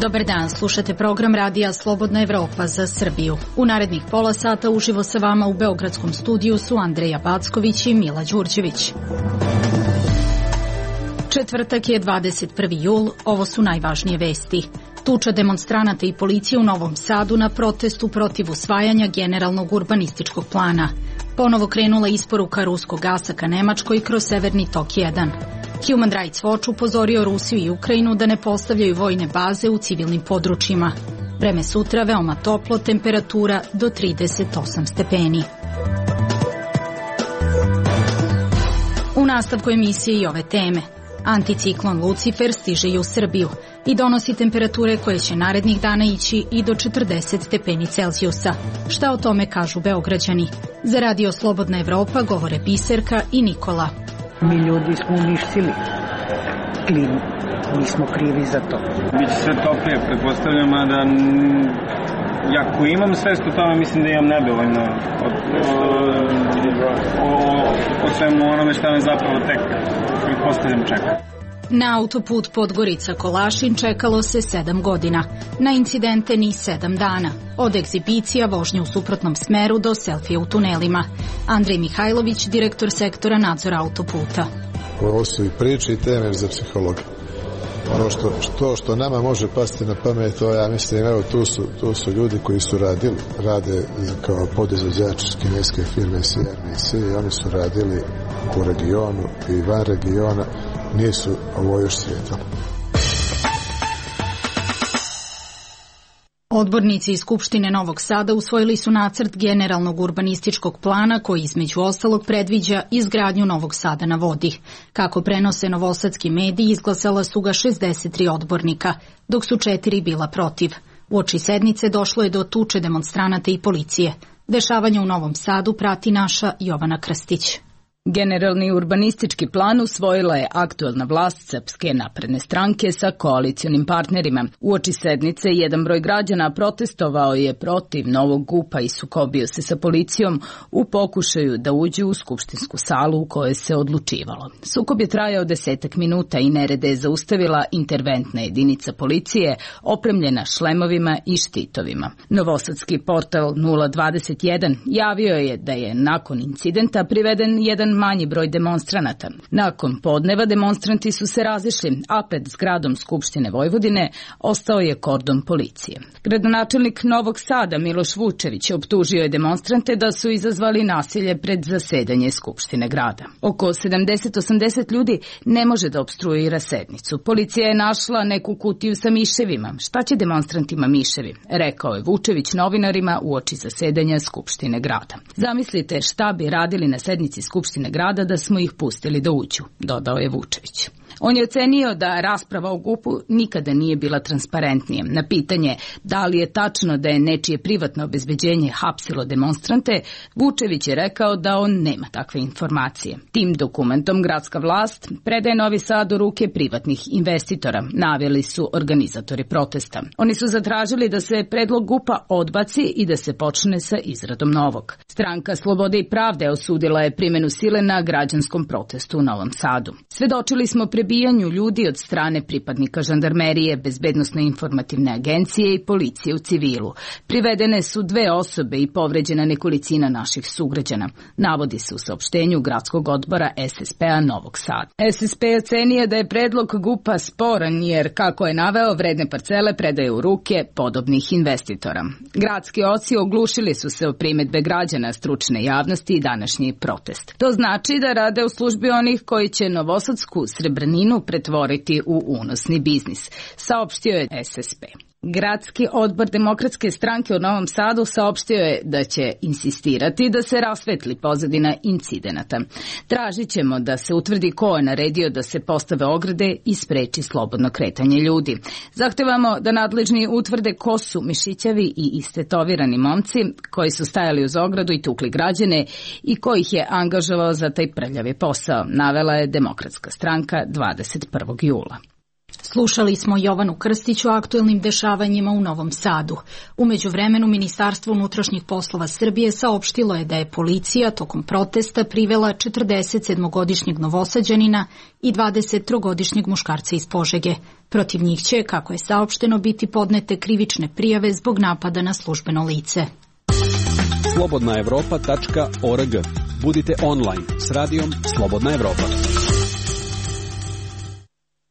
Dobar dan, slušate program radija Slobodna Evropa za Srbiju. U narednih pola sata uživo sa vama u beogradskom studiju su Andreja Backović i Mila Đurđević. Četvrtak je 21. jul, ovo su najvažnije vesti. Tuča demonstranata i policije u Novom Sadu na protestu protiv usvajanja generalnog urbanističkog plana. Ponovo krenula isporuka ruskog gasa ka Nemačkoj kroz Severni tok 1. Human Rights Watch upozorio Rusiju i Ukrajinu da ne postavljaju vojne baze u civilnim područjima. Vreme sutra veoma toplo, temperatura do 38 stepeni. U nastavku emisije i ove teme. Anticiklon Lucifer stiže i u Srbiju i donosi temperature koje će narednih dana ići i do 40 stepeni Celzijusa. Šta o tome kažu Beograđani? Za Radio Slobodna Evropa govore Biserka i Nikola. Mi ljudi smo uništili klimu, mi smo krivi za to. Biće sve toplije, pretpostavljam, a da ako imam svest o tome, mislim da imam nedovoljno o svemu onome šta me zapravo tek pretpostavljam čeka. Na autoput Podgorica-Kolašin čekalo se 7 godina, na incidente ni 7 dana, od egzibicija, vožnje u suprotnom smeru do selfije u tunelima. Andrej Mihajlović, direktor sektora nadzora autoputa. Ovo su i priče i teme za psihologa. Ono što nama može pasti na pamet, to ja mislim, evo tu su ljudi koji su rade kao podizvođači kineske firme CRBC i oni su radili u regionu i van regiona, nisu ovo još svijetalo. Odbornici iz Skupštine Novog Sada usvojili su nacrt generalnog urbanističkog plana koji između ostalog predviđa izgradnju Novog Sada na vodi. Kako prenose novosadski mediji, izglasala su ga 63 odbornika, dok su 4 bila protiv. Uoči sednice došlo je do tuče demonstranata i policije. Dešavanje u Novom Sadu prati naša Jovana Krstić. Generalni urbanistički plan usvojila je aktuelna vlast Srpske napredne stranke sa koalicionim partnerima. Uoči sednice jedan broj građana protestovao je protiv novog GUP-a i sukobio se sa policijom u pokušaju da uđu u skupštinsku salu u kojoj se odlučivalo. Sukob je trajao 10 minuta i nerede je zaustavila interventna jedinica policije opremljena šlemovima i štitovima. Novosadski portal 021 javio je da je nakon incidenta priveden jedan manji broj demonstranata. Nakon podneva demonstranti su se razišli, a pred zgradom Skupštine Vojvodine ostao je kordon policije. Gradonačelnik Novog Sada Miloš Vučević optužio je demonstrante da su izazvali nasilje pred zasedanje Skupštine grada. Oko 70-80 ljudi ne može da opstruira sednicu. Policija je našla neku kutiju sa miševima. Šta će demonstrantima miševi? Rekao je Vučević novinarima uoči zasedanja Skupštine grada. Zamislite šta bi radili na sednici Skupštine grada da smo ih pustili da uđu, dodao je Vučević. On je ocenio da rasprava o GUP-u nikada nije bila transparentnije. Na pitanje da li je tačno da je nečije privatno obezbeđenje hapsilo demonstrante, Vučević je rekao da on nema takve informacije. Tim dokumentom gradska vlast predaje Novi Sad u ruke privatnih investitora, naveli su organizatori protesta. Oni su zatražili da se predlog GUP-a odbaci i da se počne sa izradom novog. Stranka Slobode i pravde osudila je primenu sile na građanskom protestu u Novom Sadu. Svedočili smo prebijanju ljudi od strane pripadnika žandarmerije, bezbednosno-informativne agencije i policije u civilu. Privedene su 2 osobe i povređena nekolicina naših sugrađana, navodi se u saopštenju gradskog odbora SSP-a Novog Sada. SSP ocenio da je predlog GUP-a sporan jer, kako je naveo, vredne parcele predaje u ruke podobnih investitora. Gradski oci oglušili su se o primedbe građana, stručne javnosti i današnji protest. To znači da rade u službi onih koji će novosadsku srebrninu pretvoriti u unosni biznis, saopštio je SSP. Gradski odbor Demokratske stranke u Novom Sadu saopštio je da će insistirati da se rasvetli pozadina incidenata. Tražit ćemo da se utvrdi ko je naredio da se postave ograde i spreči slobodno kretanje ljudi. Zahtevamo da nadležni utvrde ko su mišićavi i istetovirani momci koji su stajali uz ogradu i tukli građane i ko ih je angažovao za taj prljavi posao, navela je Demokratska stranka 21. jula. Slušali smo Jovanu Krstić o aktuelnim dešavanjima u Novom Sadu. U međuvremenu Ministarstvo unutrašnjih poslova Srbije saopštilo je da je policija tokom protesta privela 47-godišnjeg Novosađanina i 23-godišnjeg muškarca iz Požege. Protiv njih će, kako je saopšteno, biti podnete krivične prijave zbog napada na službeno lice. slobodnaevropa.org. Budite online s radijom Slobodna Evropa.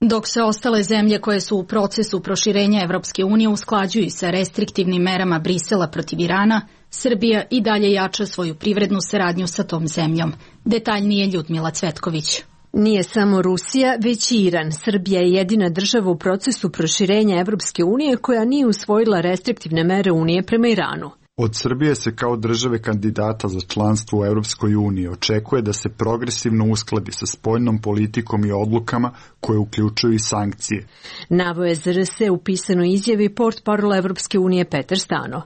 Dok se ostale zemlje koje su u procesu proširenja Evropske unije usklađuju sa restriktivnim merama Brisela protiv Irana, Srbija i dalje jača svoju privrednu saradnju sa tom zemljom. Detaljnije Ljudmila Cvetković. Nije samo Rusija, već i Iran. Srbija je jedina država u procesu proširenja Evropske unije koja nije usvojila restriktivne mere Unije prema Iranu. Od Srbije se kao države kandidata za članstvo u Evropskoj uniji očekuje da se progresivno uskladi sa spoljnom politikom i odlukama koje uključuju i sankcije. Naveo je ZRS u pisanoj izjavi portparol Evropske unije Petar Stano.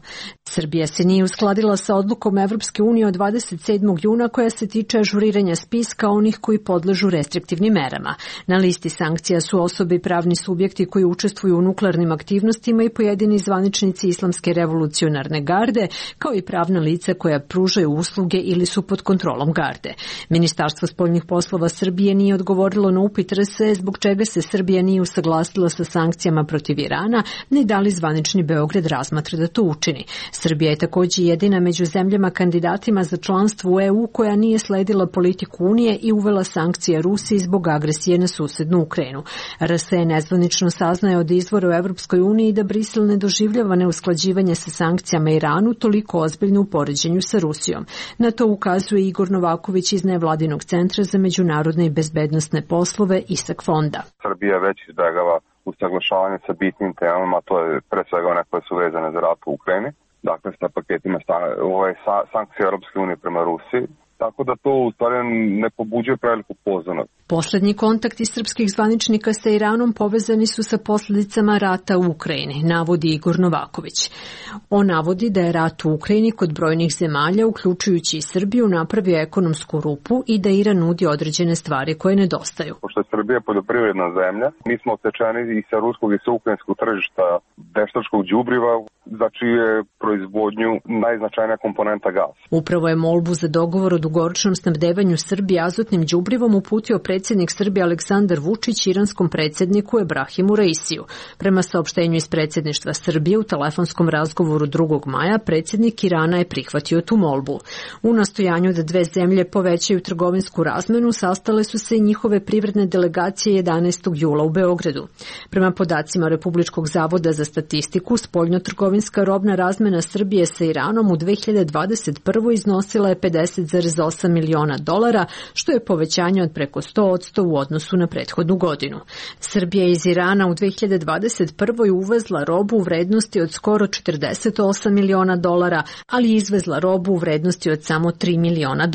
Srbija se nije uskladila sa odlukom Evropske unije od 27. juna koja se tiče ažuriranja spiska onih koji podležu restriktivnim merama. Na listi sankcija su osobe i pravni subjekti koji učestvuju u nuklearnim aktivnostima i pojedini zvaničnici Islamske revolucionarne garde, kao i pravna lica koja pružaju usluge ili su pod kontrolom garde. Ministarstvo spoljnih poslova Srbije nije odgovorilo na upit RS zbog čega se Srbija nije usaglasila sa sankcijama protiv Irana, ni da li zvanični Beograd razmatra da to učini. Srbija je također jedina među zemljama kandidatima za članstvo u EU koja nije sledila politiku Unije i uvela sankcije Rusiji zbog agresije na susednu Ukrajinu. RS je nezvanično saznaje od izvora u Evropskoj uniji da Brisel ne doživljava neusklađivanje sa sankcijama Iranu toliko ozbiljno u poređenju sa Rusijom. Na to ukazuje Igor Novaković iz Nevladinog centra za međunarodne i bezbednosne poslove ISAK fonda. Srbija već izbegava usaglašavanje sa bitnim temama, to je pre svega one koje su vezane za rat u Ukrajini, dakle sa paketima sankcija Europske unije prema Rusiji. Tako da to u stvari ne pobuđuje preveliku pozornost. Poslednji kontakti srpskih zvaničnika sa Iranom povezani su sa posljedicama rata u Ukrajini, navodi Igor Novaković. On navodi da je rat u Ukrajini kod brojnih zemalja, uključujući i Srbiju, napravio ekonomsku rupu i da Iran nudi određene stvari koje nedostaju. Pošto je Srbija poljoprivredna zemlja, mi smo otečeni i sa ruskog i sa ukrajinskog tržišta veštačkog đubriva, za čiju je proizvodnju najznačajnija komponenta gas. Upravo je molbu za dogovor o dugoročnom snabdevanju Srbije azotnim đubrivom uputio predsjednik Srbije Aleksandar Vučić iranskom predsjedniku Ebrahimu Raisiju. Prema saopštenju iz predsjedništva Srbije u telefonskom razgovoru 2. maja predsjednik Irana je prihvatio tu molbu. U nastojanju da dve zemlje povećaju trgovinsku razmenu sastale su se i njihove privredne delegacije 11. jula u Beogradu. Prema podacima Republičkog zavoda za statistiku, spoljnotrgovinska robna razmena Srbije sa Iranom u 2021. iznosila je $50,8 miliona, što je povećanje od preko 100% u odnosu na prethodnu godinu. Srbija iz Irana u 2021. uvezla robu u vrednosti od skoro $48 miliona, ali izvezla robu u vrednosti od samo $3 miliona.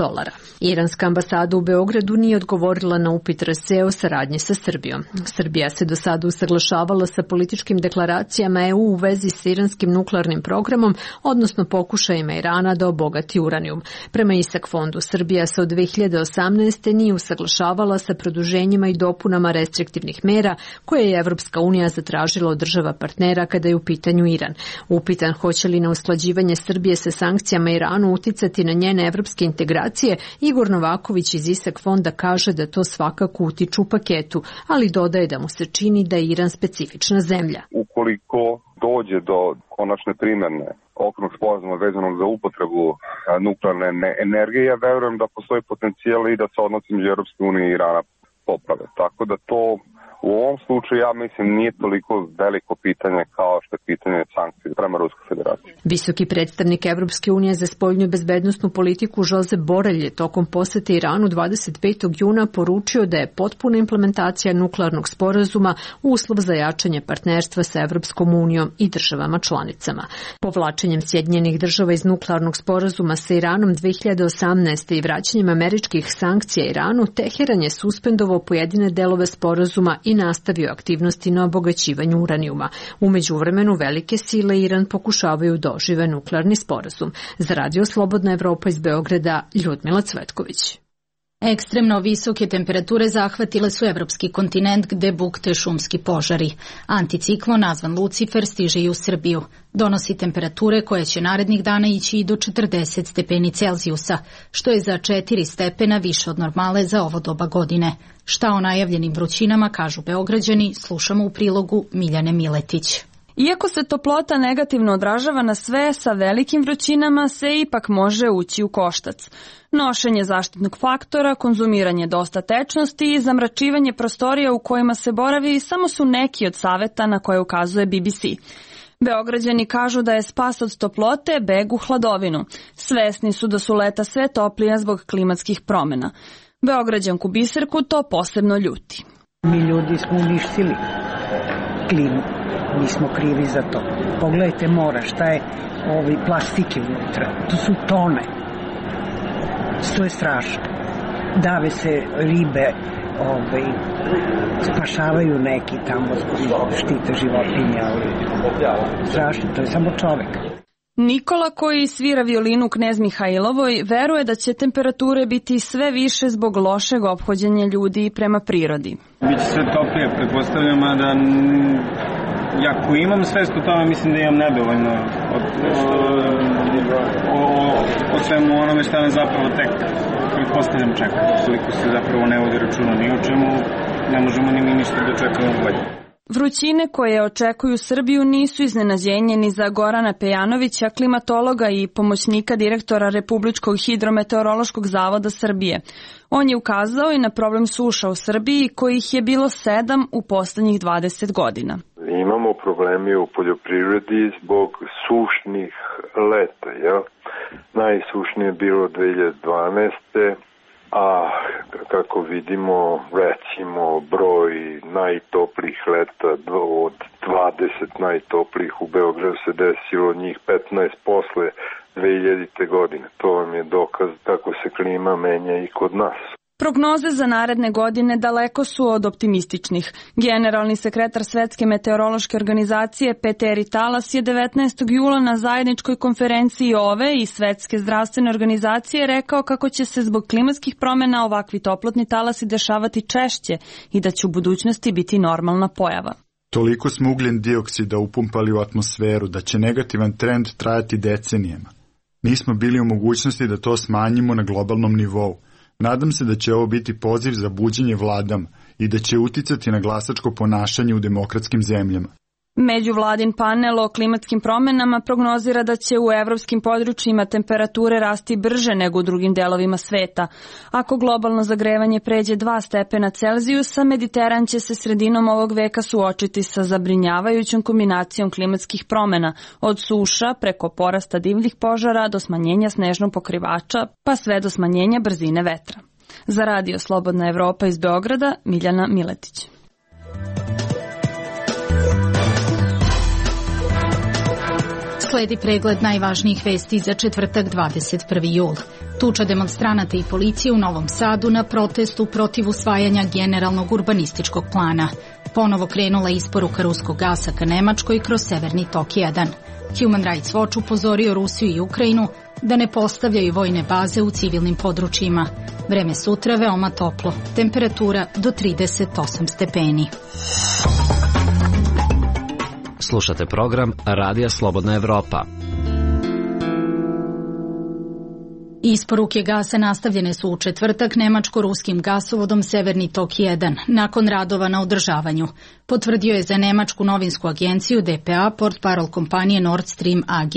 Iranska ambasada u Beogradu nije odgovorila na upit RS o saradnji sa Srbijom. Srbija se do sada usaglašavala sa političkim deklaracijama EU u vezi sa iranskim nuklearnim programom, odnosno pokušajima Irana da obogati uranijum. Prema ISAK fondu, Srbija se od 2018. nije usaglašavala sa produženjima i dopunama restriktivnih mera koje je Evropska unija zatražila od država partnera kada je u pitanju Iran. Upitan hoće li na usklađivanje Srbije sa sankcijama Iranu uticati na njene evropske integracije, Igor Novaković iz ISAK fonda kaže da to svakako utiču u paketu, ali dodaje da mu se čini da je Iran specifična zemlja. Ukoliko dođe do konačne primjene okvirnog sporazuma vezanog za upotrebu nuklearne energije, ja verujem da postoji potencijal i da se odnosi među Europske unije i Irana poprave. Tako da to u ovom slučaju, ja mislim, nije toliko veliko pitanje kao što je pitanje sankcije prema Ruskoj federaciji. Visoki predstavnik Evropske unije za spoljnu i bezbednosnu politiku Josep Borrell je tokom posete Iranu 25. juna poručio da je potpuna implementacija nuklearnog sporazuma uslov za jačanje partnerstva sa Evropskom unijom i državama članicama. Povlačenjem Sjedinjenih država iz nuklearnog sporazuma sa Iranom 2018. i vraćanjem američkih sankcija Iranu, Teheran je suspendovao pojedine delove sporazuma i nastavio aktivnosti na obogaćivanju uranijuma. U međuvremenu velike sile Iran pokušavaju da ožive nuklearni sporazum. Za Radio Slobodna Evropa iz Beograda, Ljudmila Cvetković. Ekstremno visoke temperature zahvatile su evropski kontinent gde bukte šumski požari. Anticiklon nazvan Lucifer stiže i u Srbiju. Donosi temperature koje će narednih dana ići i do 40 stepeni Celzijusa, što je za 4 stepena više od normale za ovo doba godine. Šta o najavljenim vrućinama kažu Beograđani, slušamo u prilogu Miljane Miletić. Iako se toplota negativno odražava na sve, sa velikim vrućinama se ipak može ući u koštac. Nošenje zaštitnog faktora, konzumiranje dosta tečnosti i zamračivanje prostorija u kojima se boravi samo su neki od saveta na koje ukazuje BBC. Beograđani kažu da je spas od toplote beg u hladovinu. Svesni su da su leta sve toplija zbog klimatskih promjena. Beograđanku Biserku to posebno ljuti. Mi ljudi smo uništili klimu. Mi smo krivi za to. Pogledajte mora, šta je plastike unutra. To su tone. To je strašno. Dave se ribe, spašavaju neki tamo, štite životinje, ali strašno, to je samo čovek. Nikola, koji svira violinu u Knez Mihajlovoj, veruje da će temperature biti sve više zbog lošeg ophođenja ljudi prema prirodi. Biće sve toplije, pretpostavljam, a da ako imam svest o tome, mislim da imam nedovoljno o svemu onome šta me zapravo tek pretpostavljam čeka. Koliko se zapravo ne vodi računa ni o čemu, ne možemo ni mi ništa dočekamo bolje. Vrućine koje očekuju Srbiju nisu iznenađenje ni za Gorana Pejanovića, klimatologa i pomoćnika direktora Republičkog hidrometeorološkog zavoda Srbije. On je ukazao i na problem suša u Srbiji, kojih je bilo 7 u poslednjih 20 godina. Imamo problemi u poljoprivredi zbog sušnih leta. Ja? Najsušnije je bilo 2012. A kako vidimo, recimo, broj najtoplijih leta od 20 najtoplijih u Beogradu se desilo njih 15 posle 2000. godine. To vam je dokaz kako se klima menja i kod nas. Prognoze za naredne godine daleko su od optimističnih. Generalni sekretar Svetske meteorološke organizacije Peteri Talas je 19. jula na zajedničkoj konferenciji OVE i Svetske zdravstvene organizacije rekao kako će se zbog klimatskih promjena ovakvi toplotni talasi dešavati češće i da će u budućnosti biti normalna pojava. Toliko smo ugljen dioksida upumpali u atmosferu da će negativan trend trajati decenijama. Nismo bili u mogućnosti da to smanjimo na globalnom nivou. Nadam se da će ovo biti poziv za buđenje vladama i da će uticati na glasačko ponašanje u demokratskim zemljama. Međuvladin panel o klimatskim promjenama prognozira da će u evropskim područjima temperature rasti brže nego u drugim delovima sveta. Ako globalno zagrevanje pređe 2 stepena Celzijusa, Mediteran će se sredinom ovog veka suočiti sa zabrinjavajućom kombinacijom klimatskih promjena, od suša preko porasta divljih požara do smanjenja snežnog pokrivača, pa sve do smanjenja brzine vetra. Za Radio Slobodna Evropa iz Beograda, Miljana Miletić. Sledi pregled najvažnijih vesti za četvrtak 21. jul. Tuča demonstranata i policije u Novom Sadu na protestu protiv usvajanja generalnog urbanističkog plana. Ponovo krenula isporuka ruskog gasa ka Nemačkoj kroz Severni tok 1. Human Rights Watch upozorio Rusiju i Ukrajinu da ne postavljaju vojne baze u civilnim područjima. Vreme sutra veoma toplo, temperatura do 38 stepeni. Slušate program Radija Slobodna Evropa. Isporuke gasa nastavljene su u četvrtak nemačko-ruskim gasovodom Severni tok 1, nakon radova na održavanju. Potvrdio je za nemačku novinsku agenciju DPA portparol kompanije Nord Stream AG.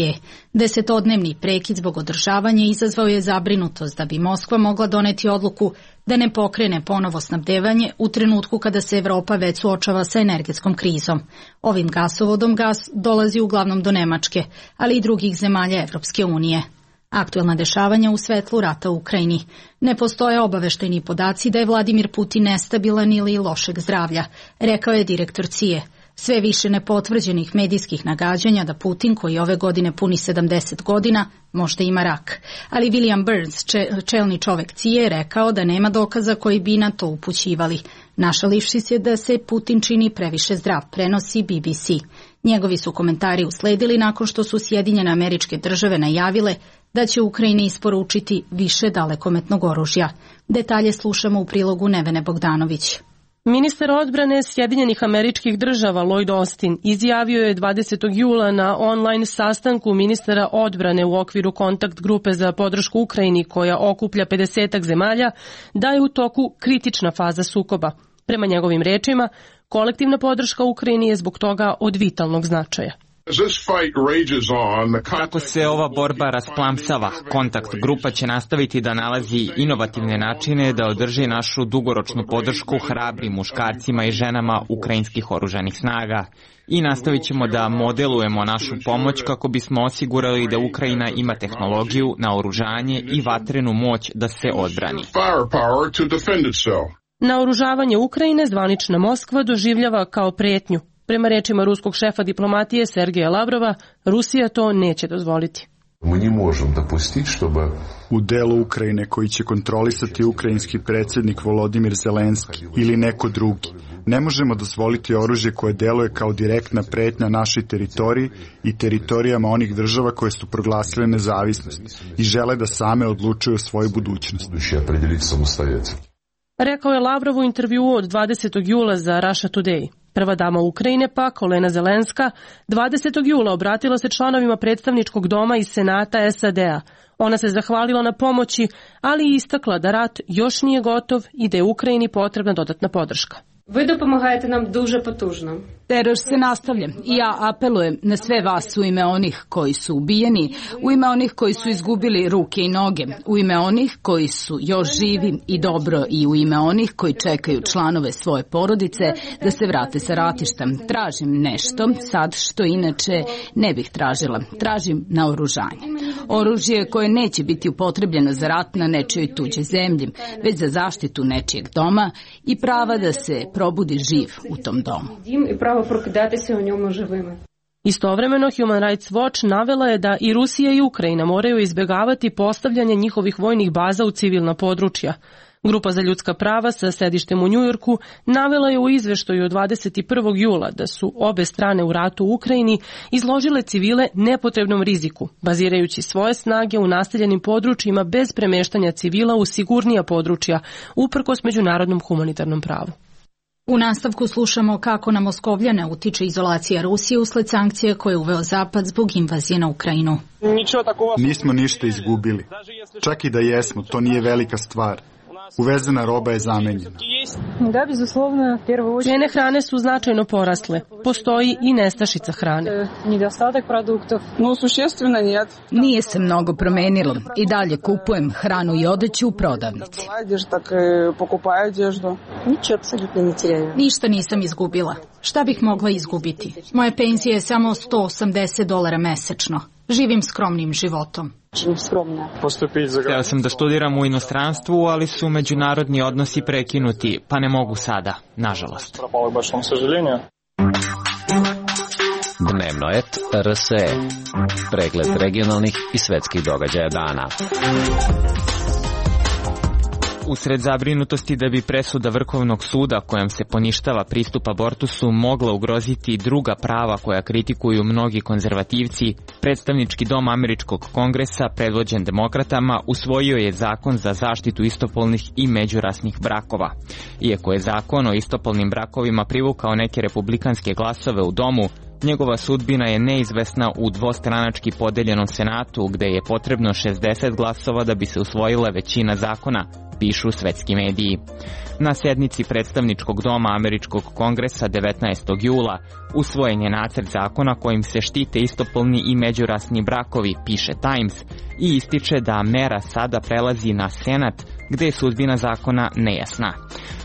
10-dnevni prekid zbog održavanja izazvao je zabrinutost da bi Moskva mogla doneti odluku da ne pokrene ponovo snabdevanje u trenutku kada se Evropa već suočava sa energetskom krizom. Ovim gasovodom gas dolazi uglavnom do Nemačke, ali i drugih zemalja Evropske unije. Aktuelna dešavanja u svetlu rata u Ukrajini. Ne postoje obaveštajni podaci da je Vladimir Putin nestabilan ili lošeg zdravlja, rekao je direktor CIA. Sve više nepotvrđenih medijskih nagađanja da Putin, koji ove godine puni 70 godina, možda ima rak. Ali William Burns, čelni čovek CIA, rekao da nema dokaza koji bi na to upućivali. Našalivši se da se Putin čini previše zdrav, prenosi BBC. Njegovi su komentari usledili nakon što su Sjedinjene Američke Države najavile da će Ukrajini isporučiti više dalekometnog oružja. Detalje slušamo u prilogu Nevene Bogdanović. Ministar odbrane Sjedinjenih Američkih Država Lloyd Austin izjavio je 20. jula na online sastanku ministara odbrane u okviru kontakt grupe za podršku Ukrajini koja okuplja 50 zemalja da je u toku kritična faza sukoba. Prema njegovim rečima, kolektivna podrška Ukrajini je zbog toga od vitalnog značaja. Kako se ova borba rasplamsava, kontakt grupa će nastaviti da nalazi inovativne načine da održi našu dugoročnu podršku hrabrim muškarcima i ženama ukrajinskih oružanih snaga i nastavit ćemo da modelujemo našu pomoć kako bismo osigurali da Ukrajina ima tehnologiju, naoružanje i vatrenu moć da se odbrani. Naoružavanje Ukrajine zvanična Moskva doživljava kao pretnju. Prema rečima ruskog šefa diplomatije Sergeja Lavrova, Rusija to neće dozvoliti. U delu Ukrajine koji će kontrolisati ukrajinski predsjednik Volodimir Zelenski ili neko drugi, ne možemo dozvoliti oružje koje deluje kao direktna pretnja našoj teritoriji i teritorijama onih država koje su proglasile nezavisnost i žele da same odlučuju o svojoj budućnosti. Rekao je Lavrov u intervjuu od 20. jula za Russia Today. Prva dama Ukrajine pak, Olena Zelenska, 20. jula obratila se članovima predstavničkog doma i senata SAD-a. Ona se zahvalila na pomoći, ali i istakla da rat još nije gotov i da je Ukrajini potrebna dodatna podrška. Ви допомагаєте нам дуже потужно. Teror se nastavlja i ja apelujem na sve vas u ime onih koji su ubijeni, u ime onih koji su izgubili ruke i noge, u ime onih koji su još živi i dobro i u ime onih koji čekaju članove svoje porodice da se vrate sa ratišta. Tražim nešto sad što inače ne bih tražila. Tražim naoružanje. Oružje koje neće biti upotrebljeno za rat na nečijoj tuđoj zemlji, već za zaštitu nečijeg doma i prava da se probudi živ u tom domu. Istovremeno Human Rights Watch navela je da i Rusija i Ukrajina moraju izbjegavati postavljanje njihovih vojnih baza u civilna područja. Grupa za ljudska prava sa sedištem u Njujorku navela je u izveštaju od 21. jula da su obe strane u ratu u Ukrajini izložile civile nepotrebnom riziku, bazirajući svoje snage u naseljenim područjima bez premeštanja civila u sigurnija područja, uprkos međunarodnom humanitarnom pravu. U nastavku slušamo kako na Moskovljane utiče izolacija Rusije usled sankcija koje je uveo Zapad zbog invazije na Ukrajinu. Nismo ništa izgubili. Čak i da jesmo, to nije velika stvar. Uvezena roba je zamenjena. Cene hrane su značajno porasle. Postoji i nestašica hrane. Nije se mnogo promenilo. I dalje kupujem hranu i odeću u prodavnici. Ništa nisam izgubila. Šta bih mogla izgubiti? Moja penzija je samo $180 mesečno. Živim skromnim životom. Hteo sam da studiram u inostranstvu, ali su međunarodni odnosi prekinuti, pa ne mogu sada, nažalost. Dnevno et RSE. Pregled regionalnih i svetskih događaja dana. Usred zabrinutosti da bi presuda Vrhovnog suda kojom se poništava pristup abortusu mogla ugroziti druga prava koja kritikuju mnogi konzervativci, predstavnički dom Američkog kongresa, predvođen demokratama, usvojio je zakon za zaštitu istopolnih i međurasnih brakova. Iako je zakon o istopolnim brakovima privukao neke republikanske glasove u domu, njegova sudbina je neizvesna u dvostranački podeljenom senatu, gde je potrebno 60 glasova da bi se usvojila većina zakona, pišu svetski mediji. Na sednici predstavničkog doma Američkog kongresa 19. jula usvojen je nacrt zakona kojim se štite istopolni i međurasni brakovi, piše Times, i ističe da mera sada prelazi na senat, gde je sudbina zakona nejasna.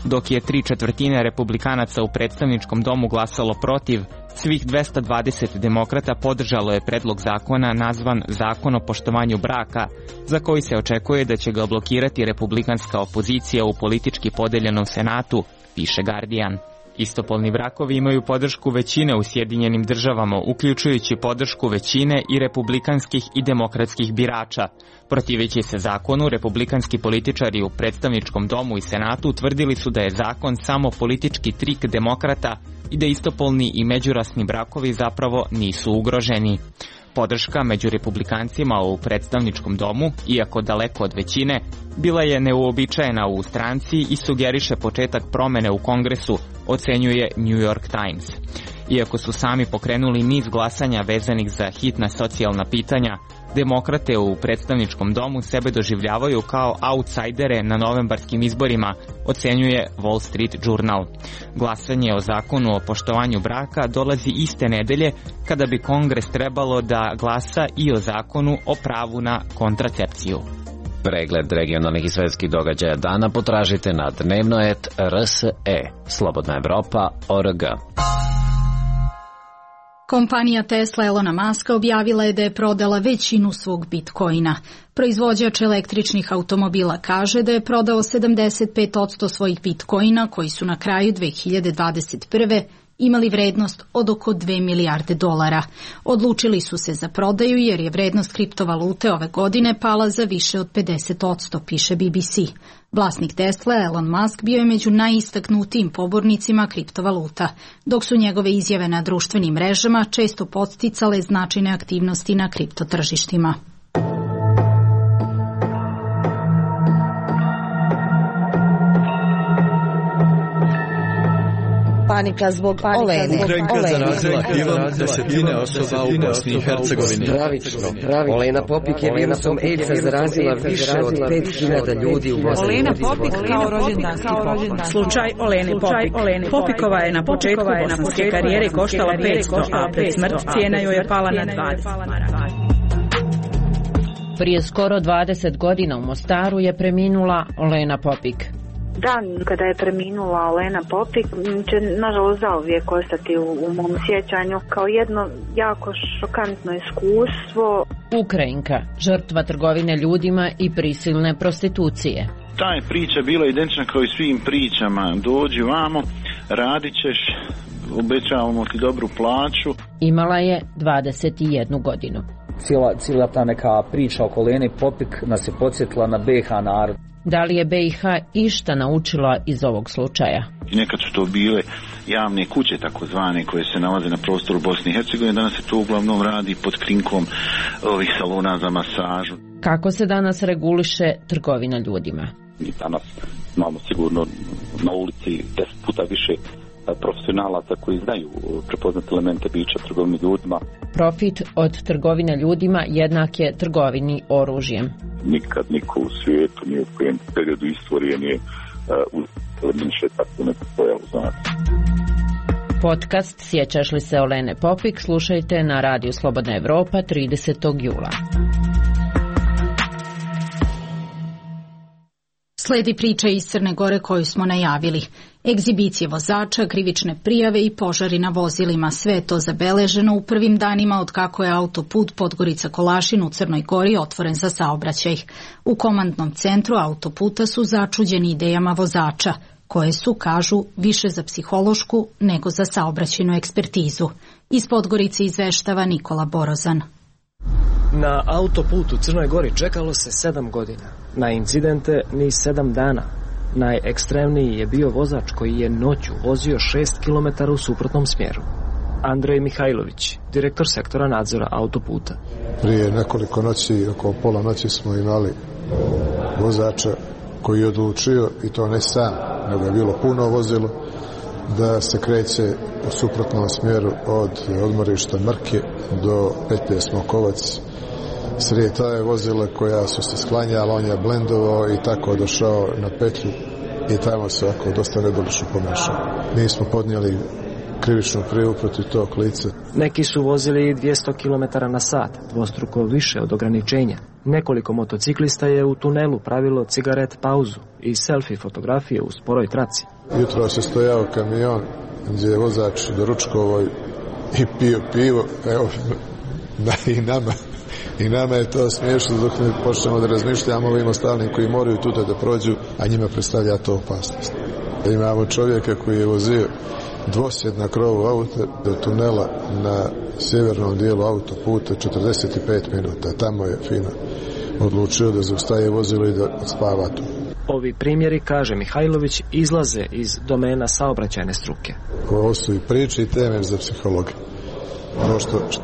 Dok je 3/4 republikanaca u predstavničkom domu glasalo protiv, svih 220 demokrata podržalo je predlog zakona nazvan Zakon o poštovanju braka, za koji se očekuje da će ga blokirati republikanska opozicija u politički podeljenom senatu, piše Guardian. Istopolni brakovi imaju podršku većine u Sjedinjenim državama, uključujući podršku većine i republikanskih i demokratskih birača. Protiveći se zakonu, republikanski političari u predstavničkom domu i senatu utvrdili su da je zakon samo politički trik demokrata i da istopolni i međurasni brakovi zapravo nisu ugroženi. Podrška među republikancima u predstavničkom domu, iako daleko od većine, bila je neuobičajena u stranci i sugeriše početak promene u Kongresu, ocenjuje New York Times. Iako su sami pokrenuli niz glasanja vezanih za hitna socijalna pitanja, demokrate u predstavničkom domu sebe doživljavaju kao autsajdere na novembarskim izborima, ocenjuje Wall Street Journal. Glasanje o zakonu o poštovanju braka dolazi iste nedelje kada bi Kongres trebalo da glasa i o zakonu o pravu na kontracepciju. Pregled regionalnih i svetskih događaja dana potražite na dnevnoet.rse, slobodnaevropa.org. Kompanija Tesla Elona Muska objavila je da je prodala većinu svog bitcoina. Proizvođač električnih automobila kaže da je prodao 75% svojih bitcoina koji su na kraju 2021. imali vrednost od oko 2 milijarde dolara. Odlučili su se za prodaju jer je vrednost kriptovalute ove godine pala za više od 50%, piše BBC. Vlasnik Tesla, Elon Musk, bio je među najistaknutijim pobornicima kriptovaluta, dok su njegove izjave na društvenim mrežama često podsticale značajne aktivnosti na kriptotržištima. Panika zbog Olene. Ukrajinka zarazila HIV-om desetine osoba u Bosni i Hercegovini. Stravično. Olena Popik je virusom AIDS-a zarazila više od 5000 ljudi u Bosni. Olena Popik kao rođendanski poklon. Slučaj Olene Popik. Popikova je na početku bosanske karijere koštala 500, a pred smrt cijena joj je pala na 20. Prije skoro 20 godina u Mostaru je preminula Olena Popik. Dan kada je preminula Olena Popik će nažalost zauvijek ostati u mom sjećanju kao jedno jako šokantno iskustvo. Ukrajinka, žrtva trgovine ljudima i prisilne prostitucije. Ta je priča bila identična kao i svim pričama. Dođi vamo, radit ćeš, obećavamo ti dobru plaću. Imala je 21 godinu. Cijela ta neka priča oko Olene Popik nas je podsjetila na BiH narod. Da li je BiH išta naučila iz ovog slučaja? Nekad su to bile javne kuće takozvane koje se nalaze na prostoru Bosne i Hercegovine, danas se to uglavnom radi pod krinkom ovih salona za masažu. Kako se danas reguliše trgovina ljudima? Mi danas imamo sigurno na ulici 10 puta više profesionalaca koji znaju prepoznati elemente bića trgovine ljudima. Profit od trgovine ljudima jednak je trgovini oružjem. Nikad niko u svijetu nije u kojem periodu istorije nije više tako neko pojavu znati. Podcast Sjećaš li se Olene Popik slušajte na radiju Slobodna Evropa 30. jula. Sledi priča iz Crne Gore koju smo najavili. Egzibicije vozača, krivične prijave i požari na vozilima. Sve je to zabeleženo u prvim danima od kako je autoput Podgorica-Kolašin u Crnoj Gori otvoren za saobraćaj. U komandnom centru autoputa su začuđeni idejama vozača, koje su, kažu, više za psihološku nego za saobraćajnu ekspertizu. Iz Podgorice izveštava Nikola Borozan. Na autoputu u Crnoj Gori čekalo se 7 godina. Na incidente ni 7 dana. Najekstremniji je bio vozač koji je noću vozio 6 km u suprotnom smjeru. Andrej Mihajlović, direktor sektora nadzora autoputa. Prije nekoliko noći, oko pola noći smo imali vozača koji je odlučio, i to ne sam, nego je bilo puno vozilo, da se kreće u suprotnom smjeru od odmorišta Mrke do petlje Smokovac. Srije ta je vozila koja su se sklanjala, on je blendovao i tako došao na petlju i tamo se ovako dosta nedolično pomešao. Mi smo podnijeli krivičnu prijavu protiv tog lica. Neki su vozili 200 km na sat, dvostruko više od ograničenja. Nekoliko motociklista je u tunelu pravilo cigaret pauzu i selfie fotografije u sporoj traci. Jutro se stojao kamion gdje je vozač doručkovao i pio pivo, evo, i nama je to smiješno dok ne počnemo da razmišljamo o ovim ostalim koji moraju tuda da prođu, a njima predstavlja to opasnost. Imamo čovjeka koji je vozio dvosjed na krovu auta do tunela na sjevernom dijelu autoputa 45 minuta. Tamo je fino odlučio da zaustaje vozilo i da spava tu. Ovi primjeri, kaže Mihajlović, izlaze iz domena saobraćajne struke. Ovo su i priče i teme za psihologiju.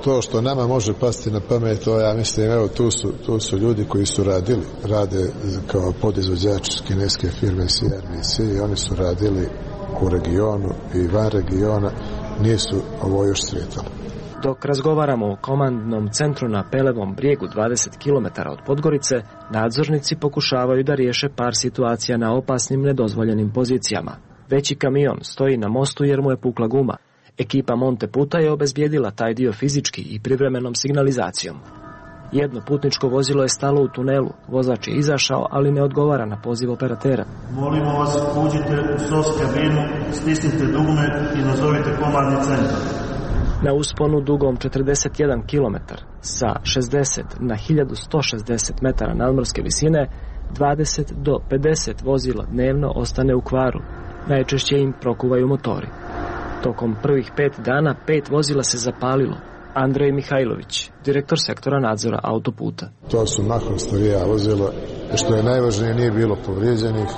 Ono što nama može pasti na pamet, to ja mislim, evo tu su ljudi koji su rade kao podizvođači kineske firme CRBC i oni su radili u regionu i van regiona, nisu ovo još sretali. Dok razgovaramo o komandnom centru na Pelevom brijegu 20 km od Podgorice, nadzornici pokušavaju da riješe par situacija na opasnim nedozvoljenim pozicijama. Veći kamion stoji na mostu jer mu je pukla guma. Ekipa Monte Puta je obezbijedila taj dio fizički i privremenom signalizacijom. Jedno putničko vozilo je stalo u tunelu, vozač je izašao, ali ne odgovara na poziv operatera. Molimo vas, uđite u SOS kabinu, stisnite dugme i nazovite komandni centar. Na usponu dugom 41 km sa 60 na 1160 metara nadmorske visine, 20 do 50 vozila dnevno ostane u kvaru. Najčešće im prokuvaju motori. Tokom prvih 5 dana 5 vozila se zapalilo. Andrej Mihajlović, direktor sektora nadzora autoputa. To su mahom starija vozila, što je najvažnije, nije bilo povrijeđenih.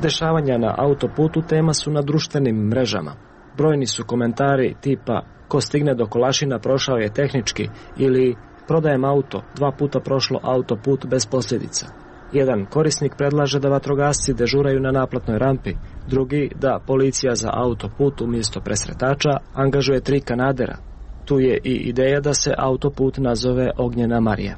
Dešavanja na autoputu tema su na društvenim mrežama. Brojni su komentari tipa ko stigne do Kolašina prošao je tehnički ili prodajem auto, 2 puta prošlo autoput bez posljedica. Jedan korisnik predlaže da vatrogasci dežuraju na naplatnoj rampi, drugi da policija za autoput umjesto presretača angažuje 3 kanadera. Tu je i ideja da se autoput nazove Ognjena Marija.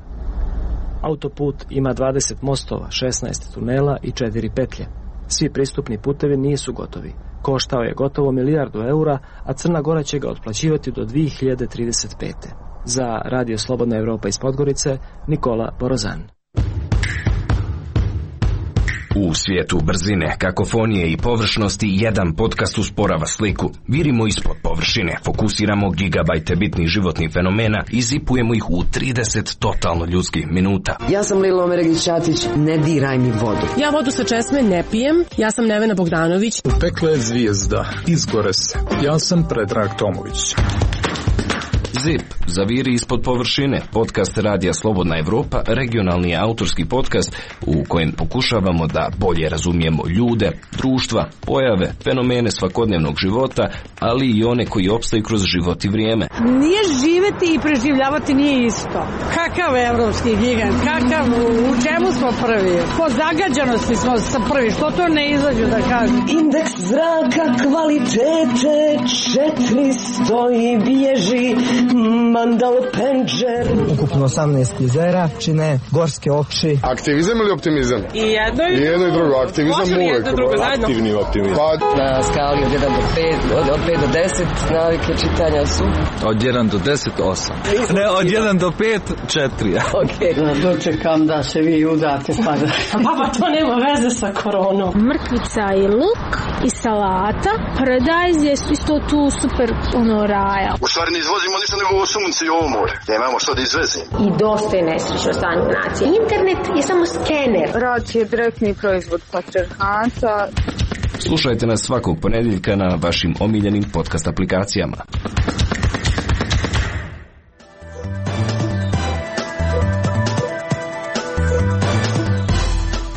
Autoput ima 20 mostova, 16 tunela i 4 petlje. Svi pristupni putevi nisu gotovi. Koštao je gotovo 1 milijardu eura, a Crna Gora će ga otplaćivati do 2035. Za Radio Slobodna Evropa iz Podgorice, Nikola Borozan. U svijetu brzine, kakofonije i površnosti jedan podcast usporava sliku. Virimo ispod površine, fokusiramo gigabajte bitnih životnih fenomena i zipujemo ih u 30 totalno ljudskih minuta. Ja sam Lila Omeregić-Ćatić, ne diraj mi vodu. Ja vodu sa česme ne pijem, ja sam Nevena Bogdanović. Upekla je zvijezda, izgore se. Ja sam Predrag Tomović. ZIP, zaviri ispod površine, podcast Radija Slobodna Evropa, regionalni autorski podcast u kojem pokušavamo da bolje razumijemo ljude, društva, pojave, fenomene svakodnevnog života, ali i one koji opstaju kroz život i vrijeme. Nije živeti i preživljavati nije isto. Kakav evropski gigant, u čemu smo prvi? Po zagađanosti smo prvi, što to ne izađu da kažem? Indeks zraka kvalitete 400 i bježi Mandal Penđer. Ukupno 18 jezera čine gorske oči. Aktivizam ili optimizam? I jedno i drugo. Aktivizam uvek. Aktivni optimizam. Na skali od 1 do 5, od 5 do 10 navike čitanja su? Od 1 do 10, 8. Ne, od 1 do 5, 4. Ok. Dočekam da se vi udate sada. Baba, to nema veze sa koronom. Mrkvica i luk i salata. Paradajz je isto tu super raja. U stvari ne izvozimo ništa nego ovo sunce i ovo more. Nemamo što da izvezimo. I dosta je nesrećno stanje nacije. Internet je samo skener. Rad je direktni proizvod patrijarhata. Slušajte nas svakog ponedjeljka na vašim omiljenim podcast aplikacijama.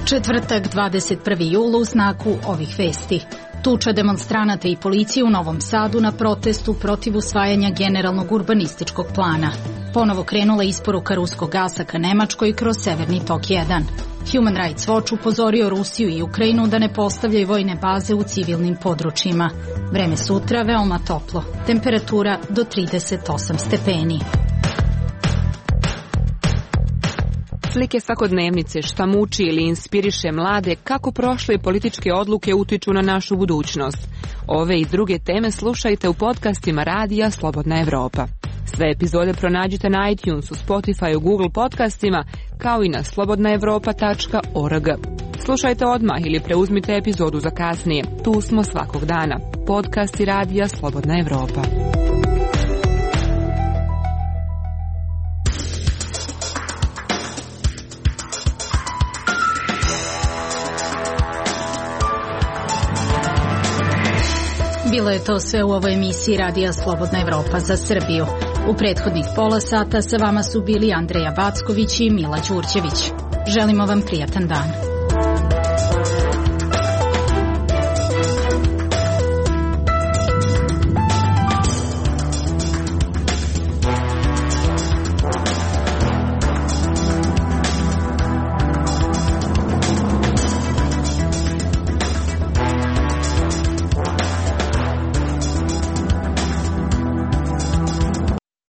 Četvrtak, 21. jula u znaku ovih vesti. Tuča demonstranata i policije u Novom Sadu na protestu protiv usvajanja generalnog urbanističkog plana. Ponovo krenula isporuka ruskog gasa ka Nemačkoj kroz Severni tok 1. Human Rights Watch upozorio Rusiju i Ukrajinu da ne postavljaju vojne baze u civilnim područjima. Vreme sutra veoma toplo. Temperatura do 38 stepeni. Slike svakodnevnice, šta muči ili inspiriše mlade, kako prošle političke odluke utiču na našu budućnost. Ove i druge teme slušajte u podcastima Radija Slobodna Evropa. Sve epizode pronađite na iTunesu, Spotify, Google podcastima, kao i na slobodnaevropa.org. Slušajte odmah ili preuzmite epizodu za kasnije. Tu smo svakog dana. Podcasti Radija Slobodna Evropa. Bilo je to sve u ovoj emisiji Radija Slobodna Evropa za Srbiju. U prethodnih pola sata sa vama su bili Andreja Backović i Mila Đurđević. Želimo vam prijatan dan.